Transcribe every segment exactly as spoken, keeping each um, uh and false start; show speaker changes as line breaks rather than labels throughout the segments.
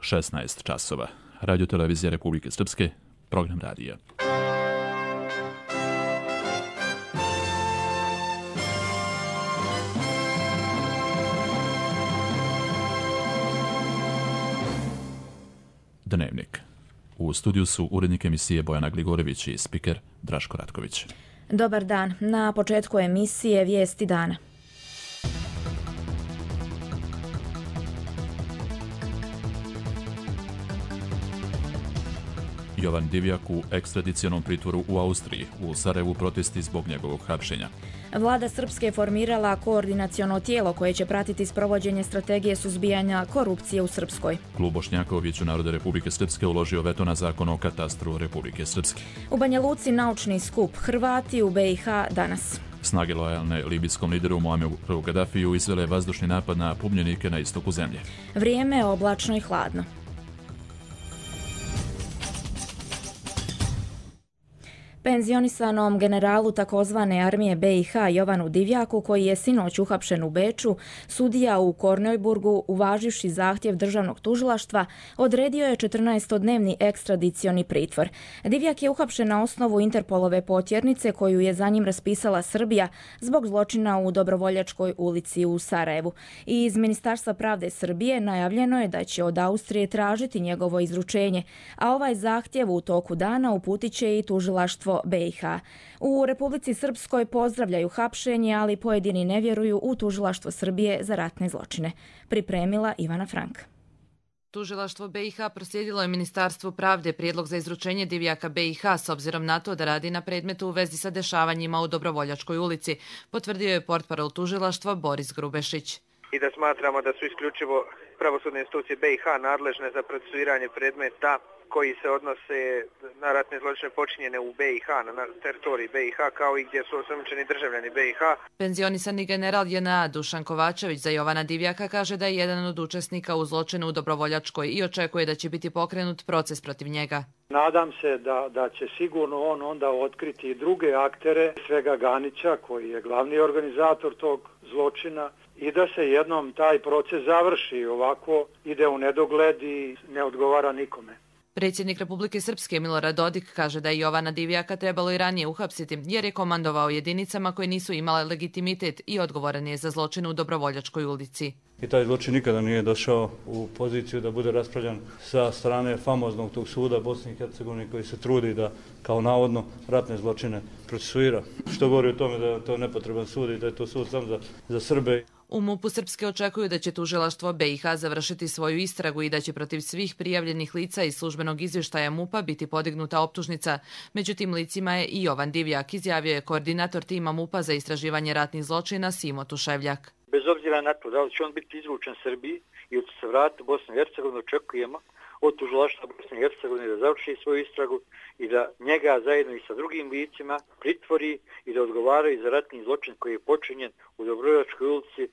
šesnaest časova. Radio televizija Republike Srpske, program radija. Dnevnik. U studiju su urednik emisije Bojana Gligorević i spiker Draško Ratković.
Dobar dan. Na početku emisije Vijesti dana.
Jovan Divjak u ekstradicionom pritvoru u Austriji, u Sarajevu protesti zbog njegovog hapšenja.
Vlada Srpske je formirala koordinaciono tijelo koje će pratiti sprovođenje strategije suzbijanja korupcije u Srpskoj.
Klub Bošnjaka u Vijeću naroda Republike Srpske uložio veto na zakon o katastru Republike Srpske.
U Banja Luci naučni skup Hrvati u B i H danas.
Snage lojalne libijskom lideru Muammeru Gadafiju izvele vazdušni napad na publjenike na istoku zemlje.
Vrijeme je oblačno i hladno. Penzionisanom generalu takozvane armije B i H Jovanu Divjaku, koji je sinoć uhapšen u Beču, sudija u Korneuburgu, uvaživši zahtjev državnog tužilaštva, odredio je četrnaestodnevni ekstradicioni pritvor. Divjak je uhapšen na osnovu Interpolove potjernice koju je za njim raspisala Srbija zbog zločina u Dobrovoljačkoj ulici u Sarajevu. I iz Ministarstva pravde Srbije najavljeno je da će od Austrije tražiti njegovo izručenje, a ovaj zahtjev u toku dana uputit će i tužilaštvo B i H. U Republici Srpskoj pozdravljaju hapšenje, ali pojedini ne vjeruju u tužilaštvo Srbije za ratne zločine. Pripremila Ivana Frank.
Tužilaštvo B i H proslijedilo je Ministarstvu pravde prijedlog za izručenje Divjaka B i H s obzirom na to da radi na predmetu u vezi sa dešavanjima u Dobrovoljačkoj ulici, potvrdio je portparol tužilaštva Boris Grubešić.
I da smatramo da su isključivo pravosudne institucije B i H nadležne za procesuiranje predmeta koji se odnose na ratne zločine počinjene u B i H, na teritoriji B i H, kao i gdje su osumnjičeni državljani B i H.
Penzionisani general J N A Dušan Kovačević za Jovana Divjaka kaže da je jedan od učesnika u zločinu u Dobrovoljačkoj i očekuje da će biti pokrenut proces protiv njega.
Nadam se da, da će sigurno on onda otkriti i druge aktere, svega Ganića koji je glavni organizator tog zločina, i da se jednom taj proces završi. Ovako ide u nedogled i ne odgovara nikome.
Predsjednik Republike Srpske Milorad Dodik kaže da je Jovana Divjaka trebalo i ranije uhapsiti jer je komandovao jedinicama koje nisu imale legitimitet i odgovoran je za zločin u Dobrovoljačkoj ulici.
I taj zločin nikada nije došao u poziciju da bude raspravljan sa strane famoznog tog suda Bosne i Hercegovine koji se trudi da kao navodno ratne zločine procesuira. Što govori o tome da je to nepotreban sud i da je to sud sam za, za Srbe.
U MUP-u Srpske očekuju da će tužilaštvo B i H završiti svoju istragu i da će protiv svih prijavljenih lica iz službenog izvještaja MUP-a biti podignuta optužnica. Među tim licima je i Jovan Divjak, izjavio je koordinator tima MUP-a za istraživanje ratnih zločina Simo Tuševljak.
Bez obzira na to da li će on biti izvučen Srbiji ili će se vratiti u Bosnu i Hercegovinu, očekujemo od tužilaštva Bosne i Hercegovine da završi svoju istragu i da njega zajedno i sa drugim licima pritvori i da odgovaraju za ratni zločin koji je počinjen u Dobrovoljačkoj ulici.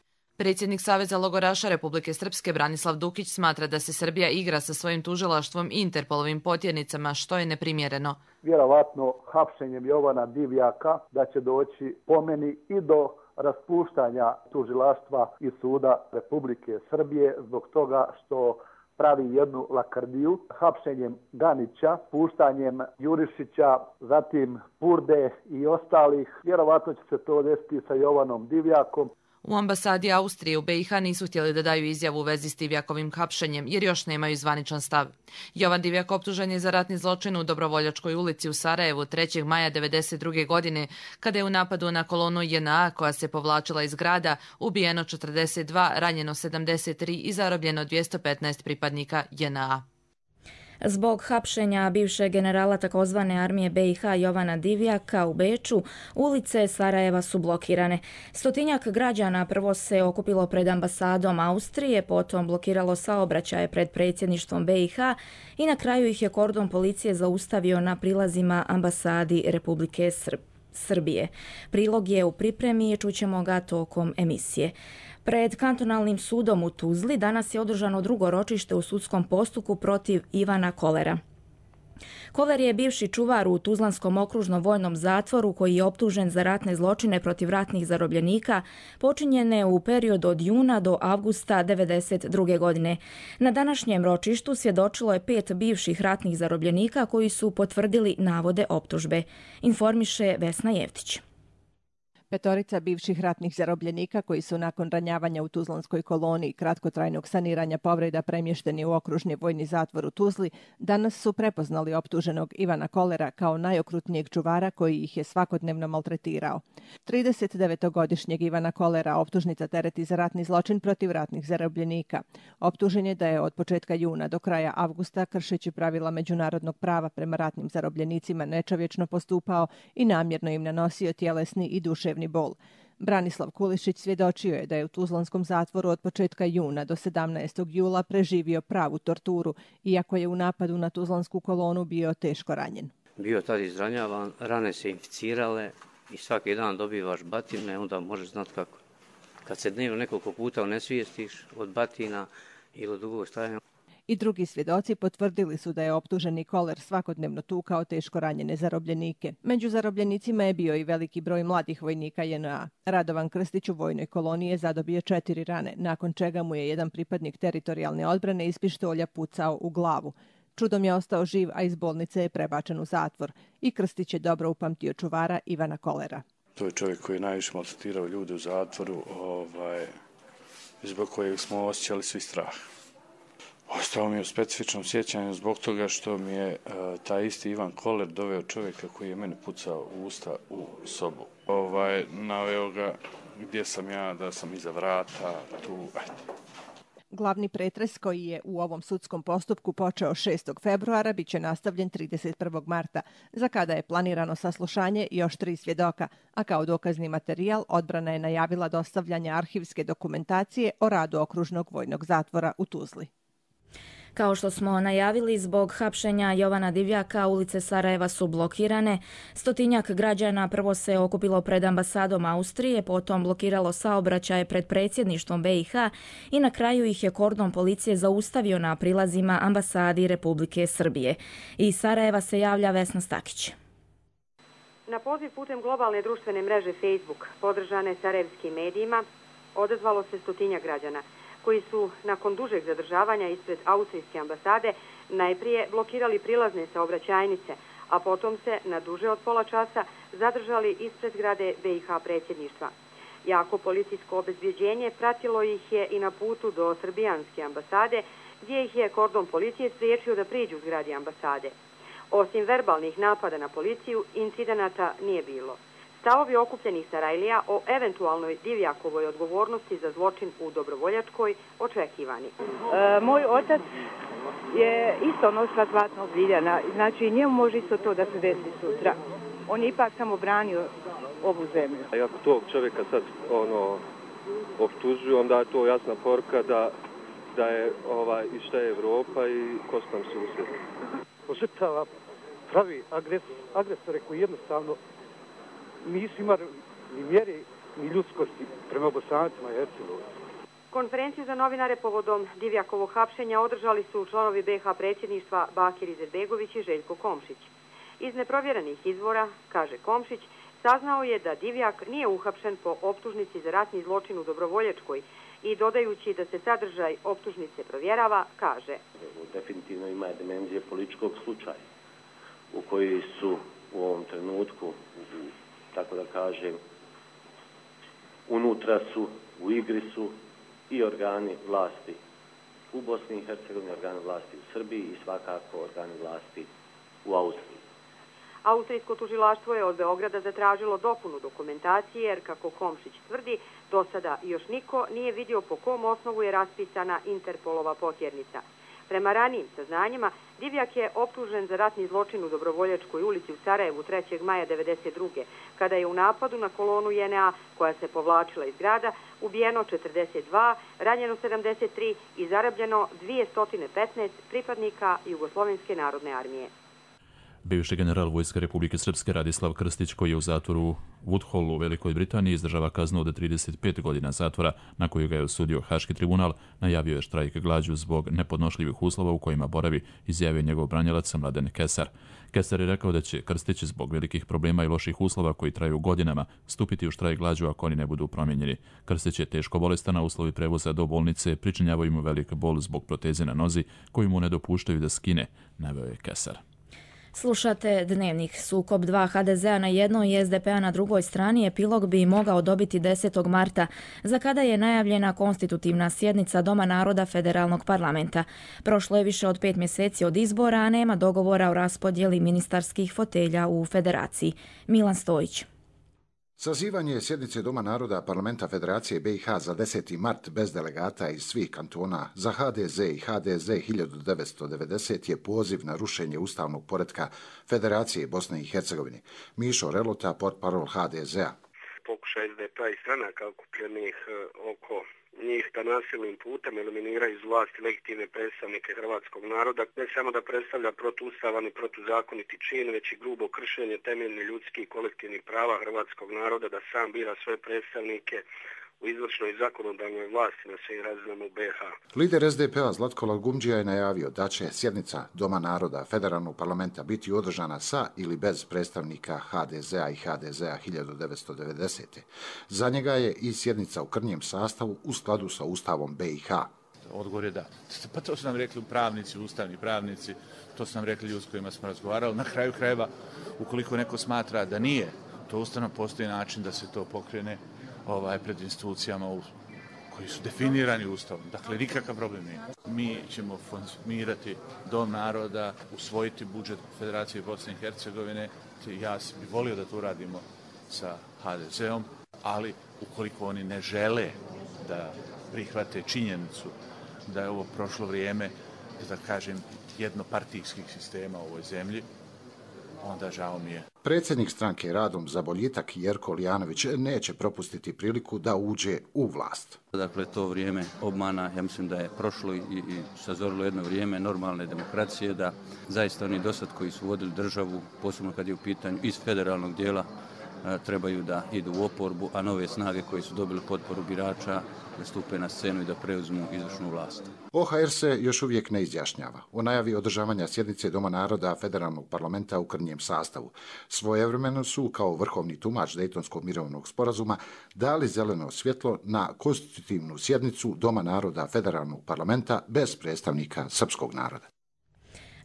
Predsjednik Saveza logoraša Republike Srpske Branislav Dukić smatra da se Srbija igra sa svojim tužilaštvom i Interpolovim potjernicama, što je neprimjereno.
Vjerovatno hapšenjem Jovana Divjaka da će doći po meni i do raspuštanja tužilaštva i suda Republike Srbije zbog toga što pravi jednu lakrdiju hapšenjem Ganića, puštanjem Jurišića, zatim Purde i ostalih. Vjerovatno će se to desiti sa Jovanom Divjakom.
U ambasadi Austrije u B i H nisu htjeli da daju izjavu u vezi s Divjakovim hapšenjem jer još nemaju zvaničan stav. Jovan Divjak optužen je za ratni zločin u Dobrovoljačkoj ulici u Sarajevu trećeg maja devedeset druge godine kada je u napadu na kolonu J N A koja se povlačila iz grada ubijeno četrdeset dva, ranjeno sedamdeset tri i zarobljeno dvjesto petnaest pripadnika J N A.
Zbog hapšenja bivšeg generala takozvane armije B i H Jovana Divjaka u Beču, ulice Sarajeva su blokirane. Stotinjak građana prvo se okupilo pred ambasadom Austrije, potom blokiralo saobraćaje pred predsjedništvom B i H i na kraju ih je kordon policije zaustavio na prilazima ambasadi Republike Srbije. Prilog je u pripremi i čućemo ga tokom emisije. Pred kantonalnim sudom u Tuzli danas je održano drugo ročište u sudskom postupku protiv Ivana Kolera. Koler je bivši čuvar u Tuzlanskom okružnom vojnom zatvoru koji je optužen za ratne zločine protiv ratnih zarobljenika počinjene u periodu od juna do avgusta devedeset druge. godine. Na današnjem ročištu svjedočilo je pet bivših ratnih zarobljenika koji su potvrdili navode optužbe, informiše Vesna Jevtić.
Petorica bivših ratnih zarobljenika koji su nakon ranjavanja u Tuzlanskoj koloniji kratkotrajnog saniranja povreda premješteni u okružni vojni zatvor u Tuzli, danas su prepoznali optuženog Ivana Kolera kao najokrutnijeg čuvara koji ih je svakodnevno maltretirao. tridesetdevetogodišnjeg Ivana Kolera optužnica tereti za ratni zločin protiv ratnih zarobljenika. Optužen je da je od početka juna do kraja avgusta, kršeći pravila međunarodnog prava prema ratnim zarobljenicima, nečovječno postupao i namjerno im nanosio tjelesni i duševni bol. Branislav Kulišić svjedočio je da je u Tuzlanskom zatvoru od početka juna do sedamnaestog jula preživio pravu torturu, iako je u napadu na Tuzlansku kolonu bio teško ranjen.
Bio tad izranjavan, rane se inficirale i svaki dan dobivaš batine, onda možeš znati kako. Kad se dnevno nekoliko puta onesvijestiš od batina ili od dugog stajanja.
I drugi svjedoci potvrdili su da je optuženi Koler svakodnevno tukao teško ranjene zarobljenike. Među zarobljenicima je bio i veliki broj mladih vojnika J N A. Radovan Krstić u vojnoj koloniji je zadobio četiri rane, nakon čega mu je jedan pripadnik teritorijalne odbrane iz pištolja pucao u glavu. Čudom je ostao živ, a iz bolnice je prebačen u zatvor. I Krstić je dobro upamtio čuvara Ivana Kolera.
To je čovjek koji je najviše maltretirao ljude u zatvoru, ovaj, zbog kojeg smo osjećali svi strah. Ostao mi je u specifičnom sjećanju zbog toga što mi je uh, taj isti Ivan Koler doveo čovjeka koji je mene pucao u usta u sobu. Ovaj, naveo ga gdje sam ja, da sam iza vrata, tu, ajde.
Glavni pretres koji je u ovom sudskom postupku počeo šestog februara bit će nastavljen trideset prvog marta, za kada je planirano saslušanje još tri svjedoka, a kao dokazni materijal odbrana je najavila dostavljanje arhivske dokumentacije o radu okružnog vojnog zatvora u Tuzli.
Kao što smo najavili, zbog hapšenja Jovana Divjaka ulice Sarajeva su blokirane. Stotinjak građana prvo se okupilo pred ambasadom Austrije, potom blokiralo saobraćaje pred predsjedništvom B i H i na kraju ih je kordon policije zaustavio na prilazima ambasadi Republike Srbije. Iz Sarajeva se javlja Vesna Stakić.
Na poziv putem globalne društvene mreže Facebook, podržane sarajevskim medijima, odazvalo se stotinjak građana, koji su nakon dužeg zadržavanja ispred austrijske ambasade najprije blokirali prilazne saobraćajnice, a potom se na duže od pola časa zadržali ispred zgrade B i H predsjedništva. Jako policijsko obezbjeđenje pratilo ih je i na putu do srbijanske ambasade, gdje ih je kordon policije spriječio da priđu zgradi ambasade. Osim verbalnih napada na policiju, incidenata nije bilo. Stavovi okupljenih Sarajlija o eventualnoj Divjakovoj odgovornosti za zločin u Dobrovoljačkoj očekivani.
E, moj otac je isto nosilac vatnog ziljana, znači njemu može isto to da se desi sutra. On je ipak samo branio ovu zemlju.
A ako tog čovjeka sad ono, optužuju, onda je to jasna poruka da, da je ovaj, i šta je Evropa i ko su nam susjed.
Požrtava pravi agres, agresore koji jednostavno nisu imali ni mjere, ni ljudskosti prema Bosancima i Hercegovicima.
Konferenciju za novinare povodom Divjakovog hapšenja održali su članovi B i H predsjedništva Bakir Izetbegović i Željko Komšić. Iz neprovjerenih izvora, kaže Komšić, saznao je da Divjak nije uhapšen po optužnici za ratni zločin u Dobrovoljačkoj i dodajući da se sadržaj optužnice provjerava, kaže:
definitivno ima dimenzije političkog slučaja u koji su u ovom trenutku, tako da kažem, unutra su, u igri su i organi vlasti u Bosni i Hercegovini, organi vlasti u Srbiji i svakako organi vlasti u Austriji.
Austrijsko tužilaštvo je od Beograda zatražilo dopunu dokumentacije jer, kako Komšić tvrdi, do sada još niko nije vidio po kom osnovu je raspisana Interpolova potjernica. Prema ranijim saznanjima, Divjak je optužen za ratni zločin u Dobrovoljačkoj ulici u Sarajevu trećeg maja devedeset druge. kada je u napadu na kolonu J N A koja se povlačila iz grada ubijeno četrdeset dva, ranjeno sedamdeset tri i zarobljeno dvjesto petnaest pripadnika Jugoslovenske narodne armije.
Bivši general Vojske Republike Srpske Radislav Krstić, koji je u zatvoru Woodhall u Velikoj Britaniji, izdržava kaznu od trideset pet godina zatvora, na koju ga je osudio Haški tribunal, najavio je štrajk glađu zbog nepodnošljivih uslova u kojima boravi, izjavio njegov branilac Mladen Kesar. Kesar je rekao da će Krstić zbog velikih problema i loših uslova koji traju godinama stupiti u štrajk glađu ako oni ne budu promijenjeni. Krstić je teško bolestan, a uslovi prevoza do bolnice pričinjavaju mu velik bol zbog proteze na nozi koju mu ne dopuštaju da skine, naveo je Kesar.
Slušate Dnevnik. Sukob dva ha de zea na jednoj i es de pe-a na drugoj strani epilog bi mogao dobiti desetog marta, za kada je najavljena konstitutivna sjednica Doma naroda Federalnog parlamenta. Prošlo je više od pet mjeseci od izbora, a nema dogovora o raspodjeli ministarskih fotelja u federaciji. Milan Stojić.
Sazivanje sjednice Doma naroda Parlamenta Federacije be i ha za deseti mart bez delegata iz svih kantona za ha de ze i ha de ze hiljadu devetsto devedeset je poziv na rušenje ustavnog poretka Federacije Bosne i Hercegovine. Mišo Relota, portparol ha de zea.
Pokušaj es de pe-a i stranaka okupljenih oko njih da nasilnim putem eliminiraju iz vlasti legitimne predstavnike hrvatskog naroda, ne samo da predstavlja protuustavan i protuzakoniti čin, već i grubo kršenje temeljnih ljudskih i kolektivnih prava hrvatskog naroda da sam bira svoje predstavnike u izvršnoj i zakonodavnoj vlasti na svim razinama u be i ha.
Lider es de pe-a Zlatko Lagumdžija je najavio da će sjednica Doma naroda Federalnog parlamenta biti održana sa ili bez predstavnika ha de zea i ha de zea hiljadu devetsto devedesete. Za njega je i sjednica u krnjem sastavu u skladu sa Ustavom be i ha.
Odgovor je da. Pa to su nam rekli pravnici, ustavni pravnici, to su nam rekli ljudi s kojima smo razgovarali. Na kraju krajeva, ukoliko neko smatra da nije, to ustavno postoji način da se to pokrene ovaj, pred institucijama u, koji su definirani Ustavom. Dakle, nikakav problem nije. Mi ćemo formirati Dom naroda, usvojiti budžet Federacije Bosne i Hercegovine. Ja bih volio da to radimo sa ha de zeom, ali ukoliko oni ne žele da prihvate činjenicu da je ovo prošlo vrijeme, da kažem, jednopartijskih sistema u ovoj zemlji, onda žao mi je.
Predsjednik stranke Radom za boljitak Jerko Lijanović neće propustiti priliku da uđe u vlast.
Dakle, to vrijeme obmana, ja mislim da je prošlo i, i sazorilo jedno vrijeme normalne demokracije, da zaista oni dosad koji su vodili državu, posebno kad je u pitanju iz federalnog dijela, trebaju da idu u oporbu, a nove snage koji su dobili potporu birača da stupe na scenu i da preuzmu izvršnu vlast.
o ha er se još uvijek ne izjašnjava o najavi održavanja sjednice Doma naroda Federalnog parlamenta u krnjem sastavu. Svojevremeno su, kao vrhovni tumač Dejtonskog mirovnog sporazuma, dali zeleno svjetlo na konstitutivnu sjednicu Doma naroda Federalnog parlamenta bez predstavnika srpskog naroda.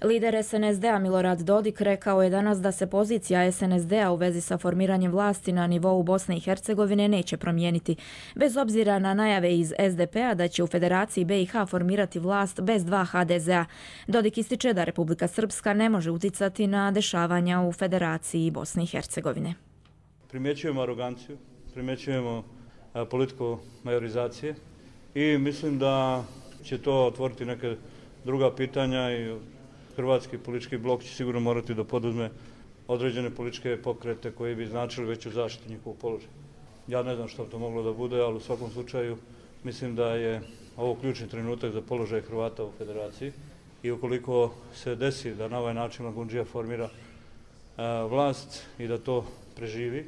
Lider es en es de-a Milorad Dodik rekao je danas da se pozicija es en es de-a u vezi sa formiranjem vlasti na nivou Bosne i Hercegovine neće promijeniti, bez obzira na najave iz es de pe-a da će u Federaciji be i ha formirati vlast bez dva ha de zea. Dodik ističe da Republika Srpska ne može uticati na dešavanja u Federaciji Bosne i Hercegovine.
Primjećujemo aroganciju, primjećujemo politiku majorizacije i mislim da će to otvoriti neke druga pitanja i hrvatski politički blok će sigurno morati da poduzme određene političke pokrete koji bi značili veću zaštitu njihovog položaja. Ja ne znam što to moglo da bude, ali u svakom slučaju mislim da je ovo ključni trenutak za položaj Hrvata u Federaciji i ukoliko se desi da na ovaj način Lagumdžija formira a, vlast i da to preživi,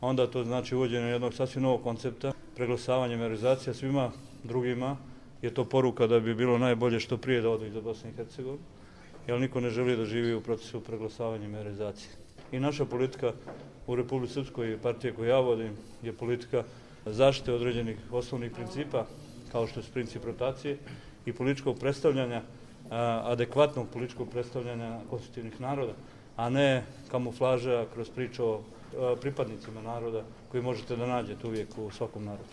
onda to znači uvođenje jednog sasvim novog koncepta, preglasavanje majorizacija svima drugima, je to poruka da bi bilo najbolje što prije da odu iz Bosne i Hercegovine, jer niko ne želi da živi u procesu preglasavanja i majorizacije. I naša politika u Republici Srpskoj i partije koju ja vodim je politika zaštite određenih osnovnih principa, kao što je princip rotacije i političkog predstavljanja, adekvatnog političkog predstavljanja konstitutivnih naroda, a ne kamuflaža kroz priču o pripadnicima naroda koji možete da nađete uvijek u svakom narodu.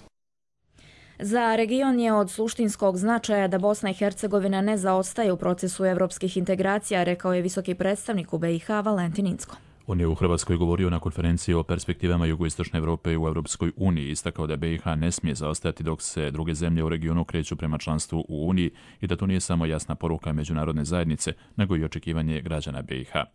Za region je od suštinskog značaja da Bosna i Hercegovina ne zaostaje u procesu evropskih integracija, rekao je visoki predstavnik u be i ha Valentin Incko.
On je u Hrvatskoj govorio na konferenciji o perspektivama jugoistočne Evrope u Europskoj uniji, istakao da be i ha ne smije zaostajati dok se druge zemlje u regionu kreću prema članstvu u Uniji i da to nije samo jasna poruka međunarodne zajednice, nego i očekivanje građana be i ha.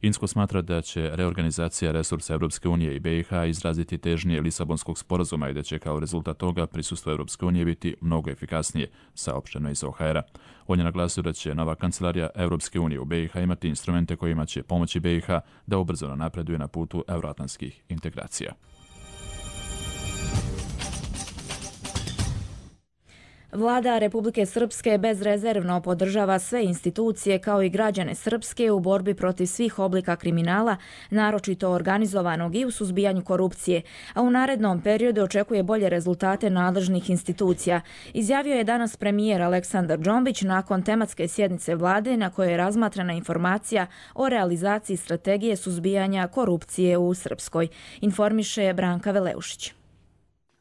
Insko smatra da će reorganizacija resursa Europske unije i B i H izraziti težnje Lisabonskog sporazuma i da će kao rezultat toga prisustvo Europske unije biti mnogo efikasnije, saopšteno iz O H R-a. On je naglasio da će nova kancelarija Europske unije u B i H imati instrumente kojima će pomoći B i H da ubrzano napreduje na putu euroatlantskih integracija.
Vlada Republike Srpske bezrezervno podržava sve institucije kao i građane Srpske u borbi protiv svih oblika kriminala, naročito organizovanog i u suzbijanju korupcije, a u narednom periodu očekuje bolje rezultate nadležnih institucija. Izjavio je danas premijer Aleksandar Džombić nakon tematske sjednice vlade na kojoj je razmatrana informacija o realizaciji strategije suzbijanja korupcije u Srpskoj, informiše Branka Veleušić.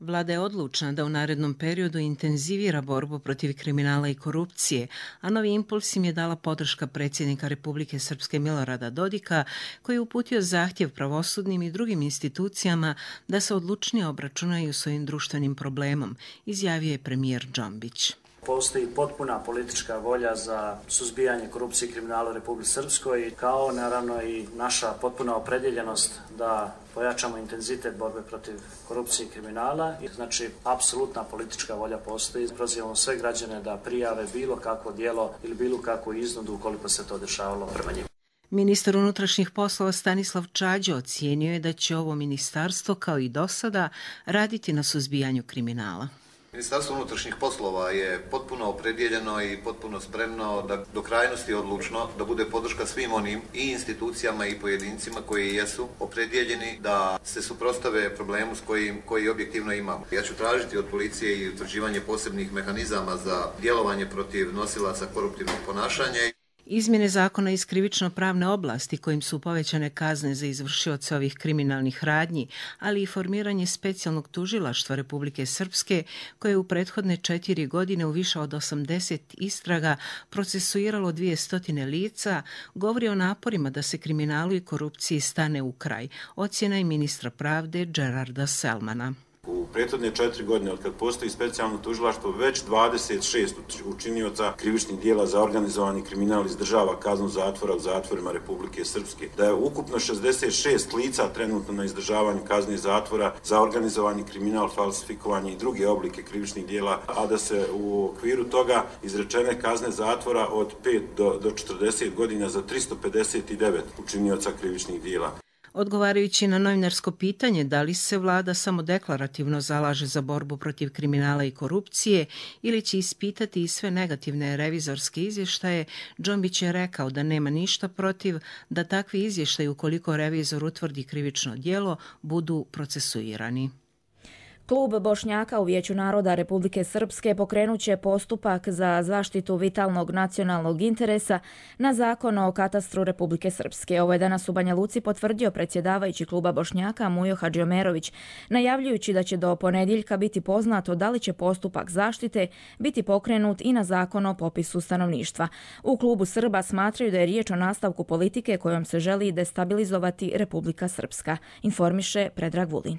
Vlada je odlučna da u narednom periodu intenzivira borbu protiv kriminala i korupcije, a novi impuls im je dala podrška predsjednika Republike Srpske Milorada Dodika, koji je uputio zahtjev pravosudnim i drugim institucijama da se odlučnije obračunaju s ovim društvenim problemom, izjavio je premijer Džombić.
Postoji potpuna politička volja za suzbijanje korupcije i kriminala u Republici Srpskoj, kao naravno i naša potpuna opredjeljenost da pojačamo intenzitet borbe protiv korupcije i kriminala. Znači, apsolutna politička volja postoji. Prozivamo sve građane da prijave bilo kakvo djelo ili bilo kakvu iznudu ukoliko se to dešavalo prema njima.
Ministar unutrašnjih poslova Stanislav Čađo ocijenio je da će ovo ministarstvo, kao i do sada, raditi na suzbijanju kriminala.
Ministarstvo unutrašnjih poslova je potpuno opredjeljeno i potpuno spremno da do krajnosti odlučno da bude podrška svim onim i institucijama i pojedincima koji jesu opredjeljeni da se suprotstave problemu s kojim, koji objektivno imamo. Ja ću tražiti od policije i utvrđivanje posebnih mehanizama za djelovanje protiv nosilaca koruptivnog ponašanja.
Izmjene zakona iz krivično-pravne oblasti kojim su povećane kazne za izvršioce ovih kriminalnih radnji, ali i formiranje specijalnog tužilaštva Republike Srpske, koje je u prethodne četiri godine u više od osamdeset istraga procesuiralo dvije stotine lica, govori o naporima da se kriminalu i korupciji stane u kraj. Ocjena je ministra pravde Gerarda Selmana.
U prethodne četiri godine, od kad postoji specijalno tužilaštvo, već dvadeset šest učinioca krivičnih dijela za organizovani kriminal izdržava kaznu zatvora u zatvorima Republike Srpske. Da je ukupno šezdeset šest lica trenutno na izdržavanju kazne zatvora za organizovani kriminal, falsifikovanje i druge oblike krivičnih dijela, a da se u okviru toga izrečene kazne zatvora od pet do četrdeset godina za tristo pedeset devet učinioca krivičnih dijela.
Odgovarajući na novinarsko pitanje da li se vlada samo deklarativno zalaže za borbu protiv kriminala i korupcije ili će ispitati i sve negativne revizorske izvještaje, Džombić je rekao da nema ništa protiv da takvi izvještaji, ukoliko revizor utvrdi krivično djelo, budu procesuirani.
Klub Bošnjaka u Vijeću naroda Republike Srpske pokrenut će postupak za zaštitu vitalnog nacionalnog interesa na zakon o katastru Republike Srpske. Ovo je danas u Banja Luci potvrdio predsjedavajući kluba Bošnjaka Mujo Hadžiomerović, najavljujući da će do ponedjeljka biti poznato da li će postupak zaštite biti pokrenut i na zakon o popisu stanovništva. U klubu Srba smatraju da je riječ o nastavku politike kojom se želi destabilizovati Republika Srpska, informiše Predrag Vulin.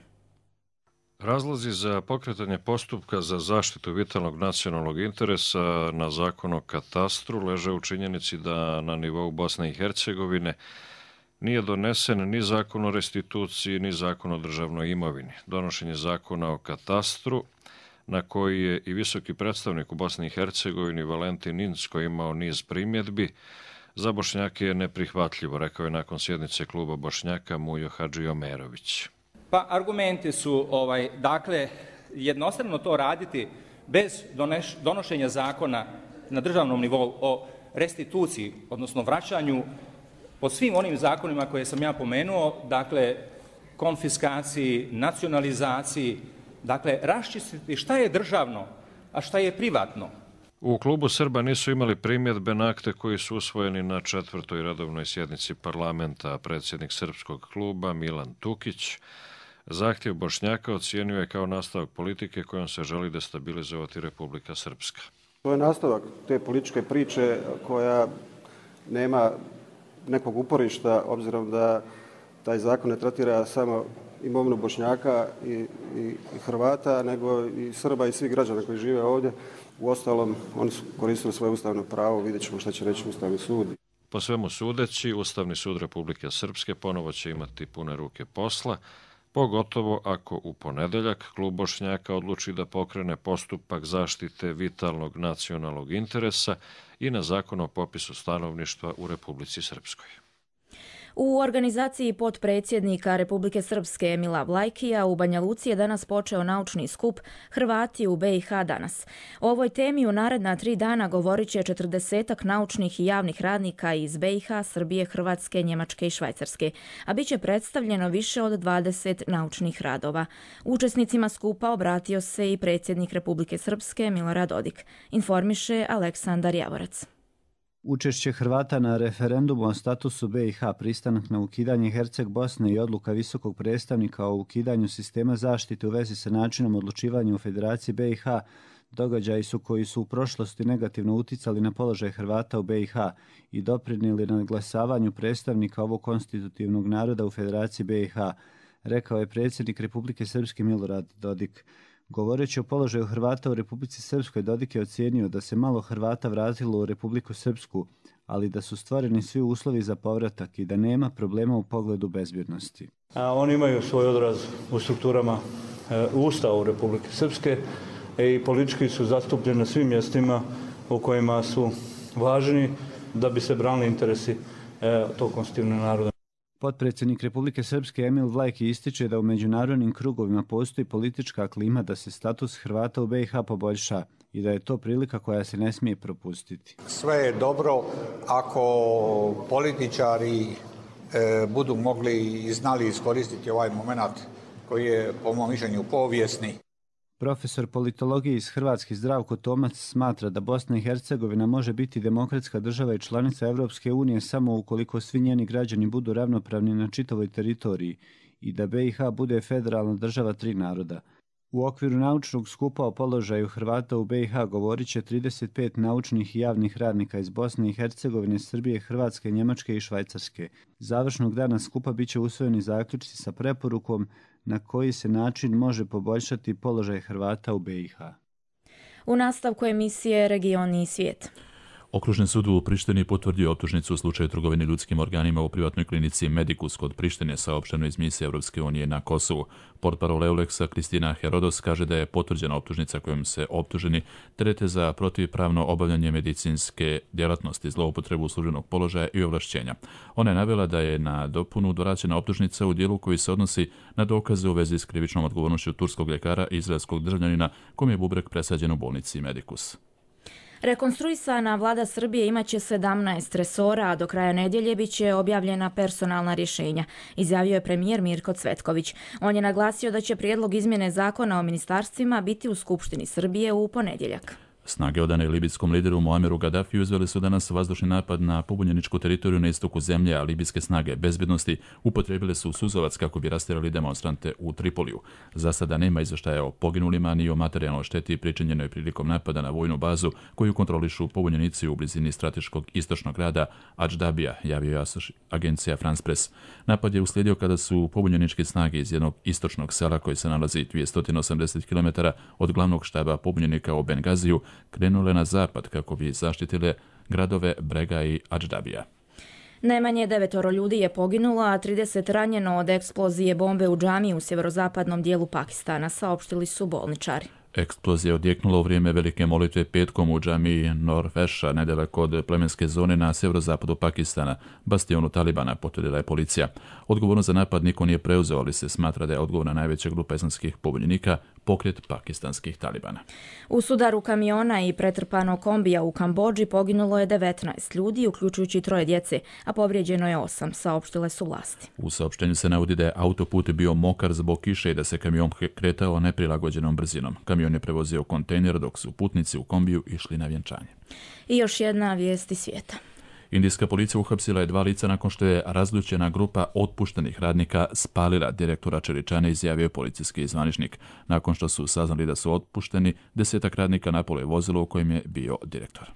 Razlozi za pokretanje postupka za zaštitu vitalnog nacionalnog interesa na zakon o katastru leže u činjenici da na nivou Bosne i Hercegovine nije donesen ni zakon o restituciji, ni zakon o državnoj imovini. Donošenje zakona o katastru, na koji je i visoki predstavnik u Bosni i Hercegovini Valentin Incko imao niz primjedbi, za Bošnjake je neprihvatljivo, rekao je nakon sjednice kluba Bošnjaka Mujo Hadžiomerović.
Pa argumenti su, ovaj, dakle, jednostavno to raditi bez doneš, donošenja zakona na državnom nivou o restituciji, odnosno vraćanju po svim onim zakonima koje sam ja pomenuo, dakle, konfiskaciji, nacionalizaciji, dakle, raščistiti šta je državno, a šta je privatno.
U klubu Srba nisu imali primjedbe na akte koji su usvojeni na četvrtoj redovnoj sjednici parlamenta. Predsjednik srpskog kluba Milan Tukić zahtjev Bošnjaka ocijenio je kao nastavak politike kojom se želi destabilizovati Republika Srpska.
To je nastavak te političke priče koja nema nekog uporišta, obzirom da taj zakon ne tretira samo imovinu Bošnjaka i, i, i Hrvata, nego i Srba i svih građana koji žive ovdje. Uostalom, oni su koristili svoje ustavno pravo, vidjet ćemo šta će reći Ustavni sud.
Po svemu sudeći, Ustavni sud Republike Srpske ponovo će imati pune ruke posla, pogotovo ako u ponedeljak klub Bošnjaka odluči da pokrene postupak zaštite vitalnog nacionalnog interesa i na zakon o popisu stanovništva u Republici Srpskoj.
U organizaciji potpredsjednika Republike Srpske Emila Vlajkija u Banja Luci je danas počeo naučni skup Hrvati u be i ha danas. O ovoj temi u naredna tri dana govorit će četrdesetak naučnih i javnih radnika iz be i ha, Srbije, Hrvatske, Njemačke i Švajcarske, a bit će predstavljeno više od dvadeset naučnih radova. Učesnicima skupa obratio se i predsjednik Republike Srpske Milorad Dodik, informiše Aleksandar Javorac.
Učešće Hrvata na referendumu o statusu be i ha, pristanak na ukidanje Herceg Bosne i odluka visokog predstavnika o ukidanju sistema zaštite u vezi sa načinom odlučivanja u Federaciji be i ha događaji su koji su u prošlosti negativno uticali na položaj Hrvata u be i ha i doprinijeli na glasavanju predstavnika ovog konstitutivnog naroda u Federaciji be i ha, rekao je predsjednik Republike Srpske Milorad Dodik. Govoreći o položaju Hrvata u Republici Srpskoj, Dodik je ocijenio da se malo Hrvata vratilo u Republiku Srpsku, ali da su stvoreni svi uslovi za povratak i da nema problema u pogledu bezbjednosti.
A oni imaju svoj odraz u strukturama e, Ustava Republike Srpske e, i politički su zastupljeni na svim mjestima u kojima su važni da bi se branili interesi e, tog konstitutivnog naroda.
Potpredsjednik Republike Srpske Emil Vlajki ističe da u međunarodnim krugovima postoji politička klima da se status Hrvata u be i ha poboljša i da je to prilika koja se ne smije propustiti.
Sve je dobro ako političari e, budu mogli i znali iskoristiti ovaj moment koji je po mom mišljenju povijesni.
Profesor politologije iz Hrvatske Zdravko Tomac smatra da Bosna i Hercegovina može biti demokratska država i članica Evropske unije samo ukoliko svi njeni građani budu ravnopravni na čitavoj teritoriji i da be i ha bude federalna država tri naroda. U okviru naučnog skupa o položaju Hrvata u be i ha govorit će trideset pet naučnih i javnih radnika iz Bosne i Hercegovine, Srbije, Hrvatske, Njemačke i Švajcarske. Završnog dana skupa bit će usvojeni zaključci sa preporukom na koji se način može poboljšati položaj Hrvata u be i ha.
U nastavku emisije Regioni i svijet.
Okružni sud u Prištini potvrdio optužnicu u slučaju trgovine ljudskim organima u privatnoj klinici Medicus kod Prištine, saopšteno iz misije Europske unije na Kosovu. Portparol Euleksa Kristina Herodos kaže da je potvrđena optužnica kojom se optuženi terete za protivpravno obavljanje medicinske djelatnosti, zloupotrebu službenog položaja i ovlašćenja. Ona je navela da je na dopunu dorađena optužnica u dijelu koji se odnosi na dokaze u vezi s krivičnom odgovornošću turskog ljekara i izraelskog državljanina kom je bubreg presađen u bolnici Medicus.
Rekonstruisana vlada Srbije imaće sedamnaest resora, a do kraja nedjelje bit će objavljena personalna rješenja, izjavio je premijer Mirko Cvetković. On je naglasio da će prijedlog izmjene zakona o ministarstvima biti u Skupštini Srbije u ponedjeljak.
Snage odane libijskom lideru Muameru Gaddafiju izveli su danas vazdušni napad na pobunjeničku teritoriju na istoku zemlje, a libijske snage bezbjednosti upotrijebile su suzovac kako bi rastjerali demonstrante u Tripoliju. Za sada nema izvještaja o poginulima ni o materijalnoj šteti pričinjenoj prilikom napada na vojnu bazu koju kontrolišu pobunjenici u blizini strateškog istočnog grada Adždabija, javio je agencija France Press. Napad je uslijedio kada su pobunjeničke snage iz jednog istočnog sela koji se nalazi dvjesto osamdeset kilometara od glavnog štaba pobunjenika u Bengaziju krenule na zapad kako bi zaštitile gradove Brega i Adždabija.
Najmanje devetoro ljudi je poginulo, a trideset ranjeno od eksplozije bombe u džamiji u sjeverozapadnom dijelu Pakistana, saopštili su bolničari.
Eksplozija je odjeknula u vrijeme velike molitve petkom u džamiji Norveša, nedaleko od plemenske zone na sjeverozapadu Pakistana, bastionu Talibana, potvrdila je policija. Odgovornost za napad niko nije preuzeo, ali se smatra da je odgovorna najveća grupa islamskih pobunjenika, pokret pakistanskih Talibana.
U sudaru kamiona i pretrpanog kombija u Kambodži poginulo je devetnaest ljudi, uključujući troje djece, a povrijeđeno je osam, saopštile su vlasti.
U saopštenju se navodi da je autoput bio mokar zbog kiše i da se kamion kretao neprilagođenom brzinom. Kamion je prevozio kontejner dok su putnici u kombiju išli na vjenčanje.
I još jedna vijest iz svijeta.
Indijska policija uhapsila je dva lica nakon što je razljučena grupa otpuštenih radnika spalila direktora Čeličane, izjavio policijski zvaničnik. Nakon što su saznali da su otpušteni, desetak radnika napalo je vozilo u kojem je bio direktor.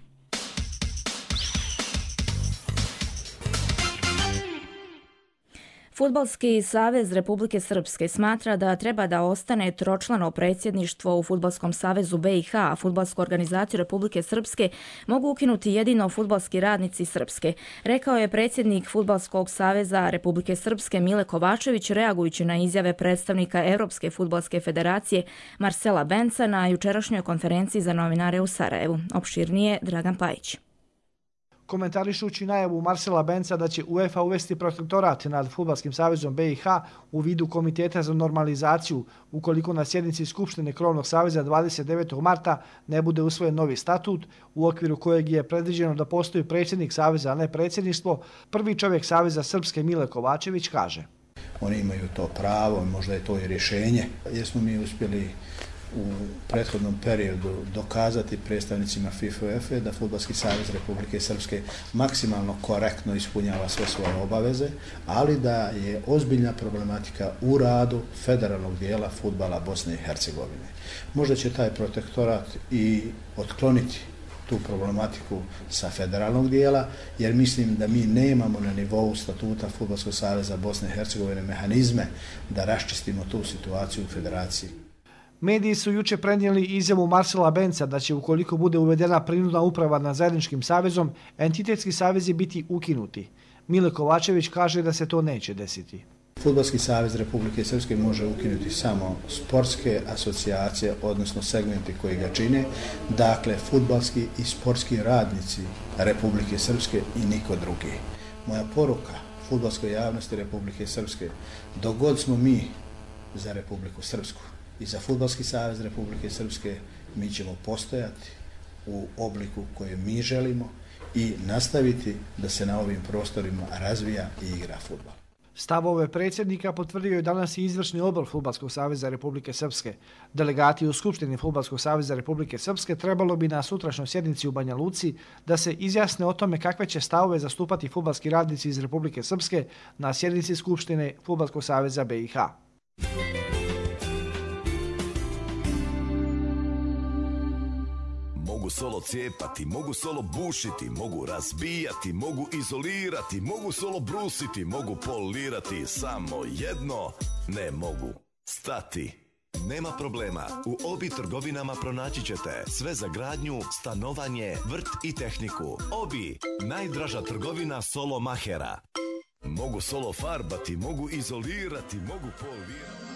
Fudbalski savez Republike Srpske smatra da treba da ostane tročlano predsjedništvo u Fudbalskom savezu B i H, a Fudbalsku organizaciju Republike Srpske mogu ukinuti jedino fudbalski radnici Srpske, rekao je predsjednik Fudbalskog saveza Republike Srpske Mile Kovačević reagujući na izjave predstavnika Europske fudbalske federacije Marcela Benca na jučerašnjoj konferenciji za novinare u Sarajevu. Opširnije Dragan Pajić.
Komentarišući najavu Marcela Benca da će UEFA uvesti protektorat nad Fudbalskim savezom B i H u vidu Komiteta za normalizaciju ukoliko na sjednici Skupštine Krovnog saveza dvadeset devetog marta ne bude usvojen novi statut u okviru kojeg je predviđeno da postoji predsjednik saveza, a ne predsjedništvo, prvi čovjek Saveza Srpske Mile Kovačević kaže:
Oni imaju to pravo, možda je to i rješenje, jer smo mi uspjeli u prethodnom periodu dokazati predstavnicima FIFA i UEFA da Fudbalski savez Republike Srpske maksimalno korektno ispunjava sve svoje obaveze, ali da je ozbiljna problematika u radu federalnog dijela fudbala Bosne i Hercegovine. Možda će taj protektorat i otkloniti tu problematiku sa federalnog dijela, jer mislim da mi nemamo na nivou statuta Fudbalskog saveza Bosne i Hercegovine mehanizme da raščistimo tu situaciju u federaciji.
Mediji su juče prenijeli izjavu Marcela Benca da će, ukoliko bude uvedena prinudna uprava nad zajedničkim savezom, entitetski savezi biti ukinuti. Mile Kovačević kaže da se to neće desiti.
Fudbalski savez Republike Srpske može ukinuti samo sportske asocijacije, odnosno segmenti koji ga čine, dakle fudbalski i sportski radnici Republike Srpske i niko drugi. Moja poruka fudbalskoj javnosti Republike Srpske, dok god smo mi za Republiku Srpsku i za Fudbalski savez Republike Srpske, mi ćemo postojati u obliku koje mi želimo i nastaviti da se na ovim prostorima razvija i igra fudbal.
Stavove predsjednika potvrdio je danas i izvršni odbor Fudbalskog saveza Republike Srpske. Delegati u Skupštini Fudbalskog saveza Republike Srpske trebalo bi na sutrašnjoj sjednici u Banja Luci da se izjasne o tome kakve će stavove zastupati fudbalski radnici iz Republike Srpske na sjednici Skupštine Fudbalskog saveza B i H.
Mogu solo cijepati, mogu solo bušiti, mogu razbijati, mogu izolirati, mogu solo brusiti, mogu polirati, samo jedno ne mogu stati. Nema problema, u Obi trgovinama pronaći ćete sve za gradnju, stanovanje, vrt i tehniku. Obi, najdraža trgovina solo mahera. Mogu solo farbati, mogu izolirati, mogu polirati.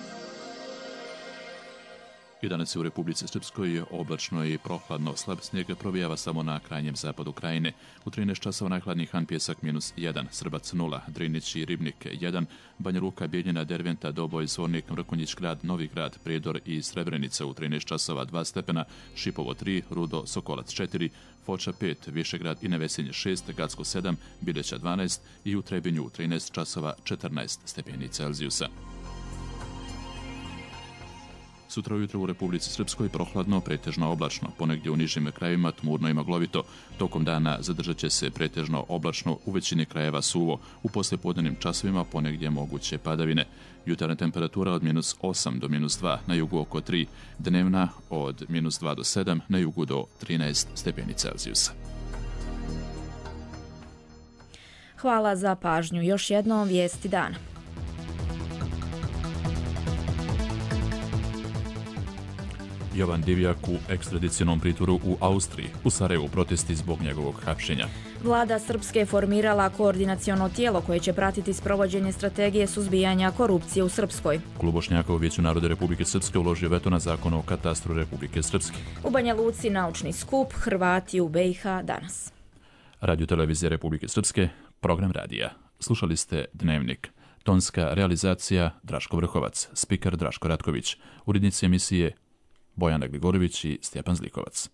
I danas je u Republici Srpskoj oblačno i prohladno, slab snijeg provijava samo na krajnjem zapadu krajine. U trinaest časova najhladniji Han Pjesak minus jedan, Srbac nula, Drinić i Ribnik jedan, Banja Luka, Bijeljina, Derventa, Doboj, Zvornik, Mrkonjić grad, Novi grad, Prijedor i Srebrenica u trinaest časova dva stepena, Šipovo tri, Rudo, Sokolac četiri, Foča pet, Višegrad i Nevesinje šest, Gacko sedam, Bileća dvanaest i u Trebinju u trinaest časova četrnaest stepeni Celzijusa. Sutra ujutro u Republici Srpskoj prohladno, pretežno oblačno, ponegdje u nižim krajevima tmurno i maglovito. Tokom dana zadržat će se pretežno oblačno, u većini krajeva suvo, u poslijepodnevnim časovima ponegdje moguće padavine. Jutarnja temperatura od minus osam do minus dva, na jugu oko tri, dnevna od minus dva do sedam, na jugu do trinaest stepeni Celzijusa.
Hvala za pažnju. Još jednom vijesti dana.
Jovan Divjak u ekstradicionom pritvoru u Austriji. U Sarajevu protesti zbog njegovog hapšenja.
Vlada Srpske je formirala koordinaciono tijelo koje će pratiti sprovođenje strategije suzbijanja korupcije u Srpskoj.
Klub Bošnjaka u Vijeću naroda Republike Srpske uložio veto na zakon o katastru Republike Srpske.
U Banja Luci naučni skup Hrvati u B i H danas.
Radio televizija Republike Srpske, program radija. Slušali ste Dnevnik. Tonska realizacija Draško Vrhovac, spiker Draško Ratković, urednici emisije Bojana Gligorović i Stjepan Zlikovac.